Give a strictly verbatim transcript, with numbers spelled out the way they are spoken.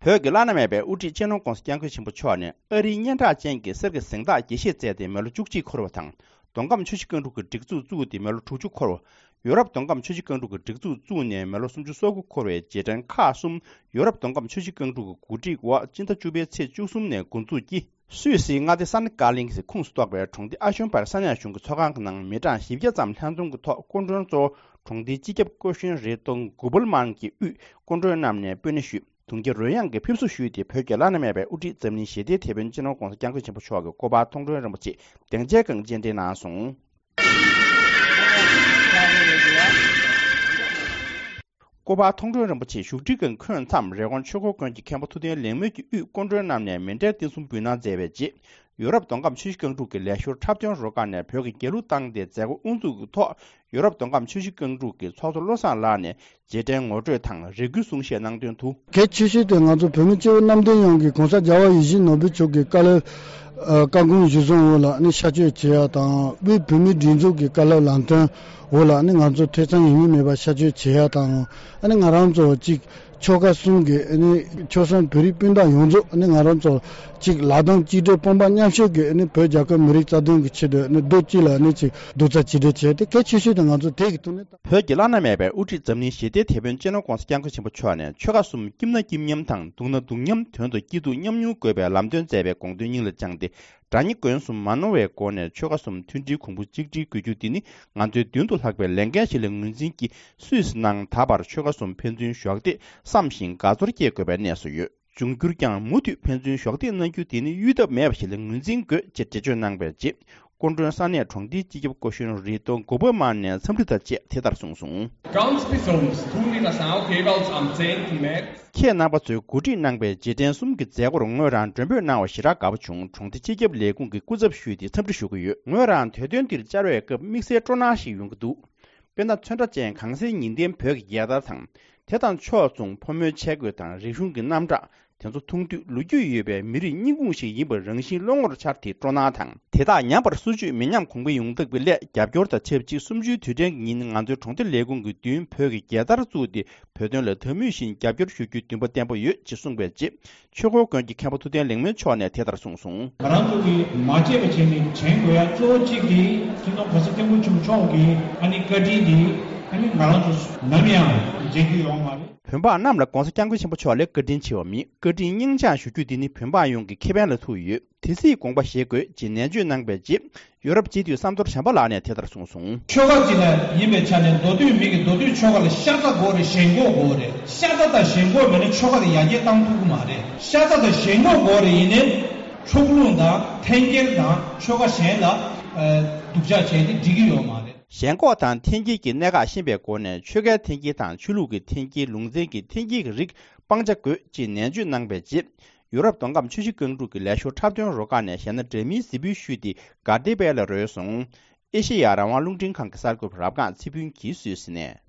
བོད་ཀྱི་བླ་ན་མེད་པའི་དབུ་ཁྲིད་སྤྱི་ནོར་༧གོང་ས་༧སྐྱབས་མགོན་ཆེན་པོ་མཆོག་ནས་ཨ་རིའི་སྙན་གྲགས་ཅན་གྱི་གསེར་གྱི་གཟེངས་རྟགས་དགྱེས་བཞེས་མཛད་དེ་མི་ལོ་བཅུ་གཅིག་འཁོར་བ་དང་། མདོ་ཁམས་ཆུ་བཞི་སྒང་དྲུག་གི་སྒྲིག་འཛུགས་བཙུགས་ཏེ་མི་ལོ་དྲུག་ཅུ་འཁོར་བ། ཡོ་རོབ་མདོ་ཁམས་ཆུ་བཞི་སྒང་དྲུག་གི་སྒྲིག་འཛུགས་བཙུགས་ནས་མི་ལོ་སུམ་ཅུ་སོ་དགུ་འཁོར་བའི་རྗེས་དྲན་ཁག་གསུམ་ཡོ་རོབ་མདོ་ཁམས་ཆུ་བཞི་སྒང་དྲུག་གི་གོ་སྒྲིག་འོག་སྤྱི་ཟླ་བཅུ་པའི་ཚེས་བཅུ་གསུམ་ནས་འགོ་འཛུགས་ཀྱིས། སུད་སིའི་མངའ་སྡེ་ས་ནི་ཀར་གླིང་གི་ཁོངས་སུ་གཏོགས་པའི་གྲོང་སྡེ་ཨ་ཤོན་པར་ས་གནས་གཞུང་གི་ཚོགས་ཁང་གི་ནང་མི་གྲངས་བཞི་བརྒྱ་ཙམ་ལྷན་འཛོམས་ཀྱི་ཐོག་སྐུ་མགྲོན་གཙོ་བོ་གྲོང་སྡེའི་སྤྱི་ཁྱབ་སྐུ་གཞོན་རེ་ཏོང་གུ་བུལ་མན་གྱིས་དབུས་སྐུ་མགྲོན་རྣམས་ནས་སྤོས་སྣེ་ཞུས། དུང་རྒྱ་རོལ་དབྱངས་ཀྱིས་ཕེབས་བསུ་ཞུས་ཏེ། བོད་ཀྱི་བླ་ན་མེད་པའི་དབུ་ཁྲིད་འཛམ་གླིང་ཞི་བདེའི་དེད་དཔོན་སྤྱི་ནོར་༧གོང་ས་༧སྐྱབས་མགོན་ཆེན་པོ་མཆོག་གི་སྐུ་པར་མཐོང་གྲོལ་རིན་པོ་ཆེ་གདན་འཇགས་ཁང་སྤྱན་འདྲེན་གནང་སོང་། སྐུ་པར་མཐོང་གྲོལ་རིན་པོ་ཆེ་བཞུགས་ཁྲིའི་སྒང་འཁོད་མཚམས། རི་ཀོན་ཆོས་འཁོར་དགོན་གྱི་མཁན་པོ་ཐུབ་བསྟན་ལེགས་སྨོན་གྱིས་དབུས་སྐུ་མགྲོན་རྣམས་ནས་མཎྜལ་རྟེན་གསུམ་འབུལ་གནང་མཛད་པའི་རྗེས། ཡོ་རོབ་མདོ་ཁམས་ཆུ་བཞི་སྒང་དྲུག་གི་ལས་ཞོར་འཁྲབ་སྟོན་རུ་ཁག་ནས་བོད་ཀྱི་རྒྱལ་གླུ་བཏང་སྟེ་མཛད་སྒོ་དབུ་འཛུགས་ཀྱི་ཐོག་ཡོ་རོབ་མདོ་ཁམས་ཆུ་བཞི་སྒང་དྲུག་གི་ཚོགས་གཙོ་བློ་བཟང་ལགས་ནས་རྗེས་དྲན་ངོ་སྤྲོད་དང་རེ་སྐུལ་གསུང་བཤད་གནང་དོན་དུ། གལ་ཆེ་ཤོས་དེ་ང་ཚོ་བོད་མི་སྤྱི་བོ་གནམ་བསྟན་ཡོངས་ཀྱིས་གོང་ས་རྒྱལ་བ་ཡིད་བཞིན་ནོར་བུ་མཆོག་གི་བཀའ་སློབ། ཨ། བཀའ་དགོངས་གཞིར་བཟུང་འོག་ལ་ནི་ཤར་བསྐྱོད་བྱེད་ཡ་དང་། དབུས་བོད་མིའི་སྒྲིག་འཛུགས་ཀྱི་བཀའ་སློབ་ལམ་སྟོན་འོག་ལ་ནི་ང་ཚོ་ཐེ་ཚོམ་ཡིན་མིན་མེད་པར་ཤར་བསྐྱོད་བྱེད་ཡ་དང་། ཨ་ནི་ང་རང་ཚོ་གཅིག་ཆོལ་ཁ་གསུམ་གྱི་ཨ་ནི་ཆོལ་གསུམ་བོད་རིགས་སྤུན་ཟླ་ཡོངས་རྫོགས་ཨ་ནི་ང་རང་ཚོ་གཅིག་ལག་གདང་གཅིག་སྦྲེལ་དཔུང་པ་མཉམ་གཤིབ་ཀྱིས་ཨ་ནི་བོད་རྒྱལ་ཁབ་མི་རིགས་རྩ་དོན་གྱི་ཆེད་དུ་ཨ་ནི་རྡོག་གཅིག་ལ་ཨ་ནི་གཅིག་རྡོག་རྩ་གཅིག་སྒྲིལ་བྱས་ཏེ། གལ་ཆེ་ཤོས་དེ་ང་ཚོ་དེ་གི་ཐོག་ནས། བོད་ཀྱི་བླ་ན་མེད་པའི་དབུ་ཁྲིད་འཛམ་གླིང་ཞི་བདེའི་དེད་དཔོན་སྤྱི་ནོར་༧གོང་ས་༧སྐྱབས་མགོན་ཆེན་པོ་མཆོག་ནས་ཆོལ་ཁ་གསུམ་སྐྱིད་ན་སྐྱིད་མཉམ་དང་སྡུག་ན་སྡུག་མཉམ། དོན་དུ་སྐྱིད་སྡུག་མཉམ་མྱོང་དགོས་པའི་ལམ་སྟོན་མཛད་པའི་དགོངས་དོན་སྙིང་ལ་བཅངས་ཏེ། དགྲ་གཉེན་མགོན་གསུམ་མ་ནོར་བའི་སྒོ་ནས་ཆོལ་ཁ་གསུམ་མཐུན་སྒྲིལ་གོང་བུ་གཅིག་སྒྲིལ་དགོས་རྒྱུ་འདི་ནི་ང་ཚོའི་མདུན་དུ་ལྷགས་པའི་ལས་འགན་ཞིག་ལ་ངོས་འཛིན་གྱིས། སུད་སི་ནང་ད་བར་ཆོལ་ཁ་གསུམ་ཕན་ཚུན་གཞོགས་འདེགས་བསམ་བཞིན་དགའ་ཚོར་སྐྱེ་དགོས་པའི་གནས་སུ་ཡོད། འབྱུང་འགྱུར་ཀྱང་མུ་མཐུད་ཕན་ཚུན་གཞོགས་འདེགས་གནང་རྒྱུ་དེ་ནི་གཡོལ་ཐབས་མེད་པ་ཞིག་ལ་ངོས་འཛིན་དགོས་ཅེས་འགྲེལ་བརྗོད་གནང་པའི་རྗེས། སྐུ་མགྲོན་ས་གནས་གྲོང་སྡེའི་སྤྱི་ཁྱབ་སྐུ་གཞོན་རི་ཏོ་མགོ་པོ་དམར་ནས་འཚམས་འདྲི་དང་བཅས་དེ་ལྟར་གསུངས་སོང་། Ganz besonders tun wir das auch jeweils am zehnten März. ཁྱེད་རྣམ་པ་ཚོས་གོ་སྒྲིག་གནང་པའི་རྗེས་དྲན་གསུམ་གྱི་མཛད་སྒོར་ངོས་རང་མགྲོན་འབོད་གནང་བ་ཞེ་དྲག་དགའ་པོ་བྱུང་། གྲོང་སྡེ་སྤྱི་ཁྱབ་ལས་ཁུངས་ཀྱི་སྐུ་ཚབ་ཞུས་ཏེ་འཚམས་འདྲི་ཞུ་གི་ཡོད། ངོས་རང་དུས་སྟོན་འདིར་བཅར་བའི་སྐབས་དམིགས་བསལ་སྤྲོ་སྣང་ཞིག་ཡོང་གི་འདུག་དཔེར་ན། ཚོན་ཁྲ་ཅན་གངས་སེང་ཉི་ལྡན་བོད་ཀྱི་རྒྱལ་དར་དང་། དེ་དང་ཕྱོགས་མཚུངས་ཕོ་མོའི་ཆས་གོས་དང་རིག་གཞུང་གི་རྣམ་གྲངས་དེ་ཚོ་མཐོང་དུས། ལོ་རྒྱུས་ཡོད་པའི་མི་རིགས་སྙིང་ཁུང་ཞིག་ཡིན་པ་རང་བཞིན་བློ་ངོར་འཆར་ཏེ་སྤྲོ་སྣང་དང་། དེ་དག་ཉམས་པར་སོར་ཆུད་མི་ཉམས་གོང་འཕེལ་ཡོང་ཐབས་ཀྱི་སླད། རྒྱབ་སྐྱོར་དང་ཆབས་ཅིག་གསུམ་བཅུའི་དུས་དྲན་གྱི་ཉིན། ང་ཚོའི་གྲོང་སྡེ་ལས་ཁུངས་ཀྱི་མདུན་བོད་ཀྱི་རྒྱལ་དར་བཙུགས་ཏེ། བོད་དོན་ལ་ད་མུས་བཞིན་རྒྱབ་སྐྱོར་ཞུ་རྒྱུའི་འདུན་པ་བརྟན་པོ་ཡོད་ཅེས་གསུངས་པའི་རྗེས། ཆོས་འཁོར་དགོན་གྱི་མཁན་པོ་ཐུབ་བསྟན་ལེགས་སྨོན་མཆོག་ནས་དེ་ལྟར་གསུངས་སོང་། ང་རང་ཚོ་གིས་མ་བརྗེད་པ་བྱས་ནས་དྲན་དགོས་ཡ་གཙོ་བོ་གཅིག་དེ་སྤྱི་ནོར་གོང་ས་སྐྱབས་མགོན་ཆེན་པོ་མཆོག་གི་ཨ་ནི་བཀའ་དྲིན་དེ་ཨ་ནི་ང་རང་ཚོ་ནམ་ཡང་བརྗེད་རྒྱུ་ཡོད་མ་རེད། བོད་འབངས་རྣམས་ལ་གོང་ས་སྐྱབས་མགོན་ཆེན་པོ་མཆོག་ལས་བཀའ་དྲིན་ཆེ་བ་མེད། བཀའ་དྲིན་སྙིང་བཅངས་ཞུ་རྒྱུ་དེ་ནི་བོད་འབངས་ཡོངས་ཀྱི་ཁེ་ཕན་ལ་ཐུག་ཡོད། དེ་སྲིད་དགོངས་པ་བཞེས་དགོས་ཅེས་ནན་བརྗོད་གནང་པའི་རྗེས། ཡོ་རོབ་སྤྱི་འཐུས་བསམ་མདོ་བྱམས་པ་ལགས་ནས་དེ་ལྟར་གསུངས་སོང་། ཆོལ་ཁ་གཅིག་ལ་ཡིན་པའི་ཆ་ནས་མདོ་སྟོད་མི་གི་མདོ་སྟོད་ཆོལ་ཁ་ལ་ཤ་ཚ་དགོས་རེད། ཞེན་ཁོག་དགོས་རེད། ཤ་ཚ་དང་ཞེན་ཁོག་མེད་ན་ཆོལ་ཁ་དེ་ཡར་རྒྱས་བཏང་ཐུབ་ཀྱི་མ་རེད། ཤ་ཚ་དང་ཞེན་ཁོག་དགོས་རེད། ཡིན་ནའི་ཕྱོགས་ལྷུང་དང་འཐེན་འཁྱེར་དང་ཆོལ་ཁ་གཞན་ལ་ཨ་སྡུག་ཅག་བྱས་ཏེ་འགྲིག་གི་ཡོད་མ་རེད། ཞེན་ཁོག་དང་འཐེན་འཁྱེར་གྱི་གནད་འགག་ཤེས་པའི་སྒོ་ནས་ཆོལ་ཁའི་འཐེན་འཁྱེར་དང་ཆོས་ལུགས་ཀྱི་འཐེན་འཁྱེར། ལུང་ཚན་གྱི་འཐེན་འཁྱེར་གྱི་རིགས་སྤང་བྱ་དགོས་ཅེས་ནན་བརྗོད་གནང་པའི་རྗེས། ཡུ་རོབ་མདོ་ཁམས་ཆུ་བཞི་སྒང་དྲུག་གི་ལས་ཞོར་འཁྲབ་སྟོན་རུ་ཁག་ནས་གཞས་སྣ་འདྲ་མིན་གཟིགས་འབུལ་ཞུས་ཏེ་དགའ་བདེ་བལ་ལ་རོལ་སོང་། ཨེ་ཤེ་ཡ་རང་དབང་རླུང་འཕྲིན་ཁང་གི་གསར་འགོད་པ་རབ་སྒང་ཚེ་ཕུན་གྱིས་སུད་སི་ནས།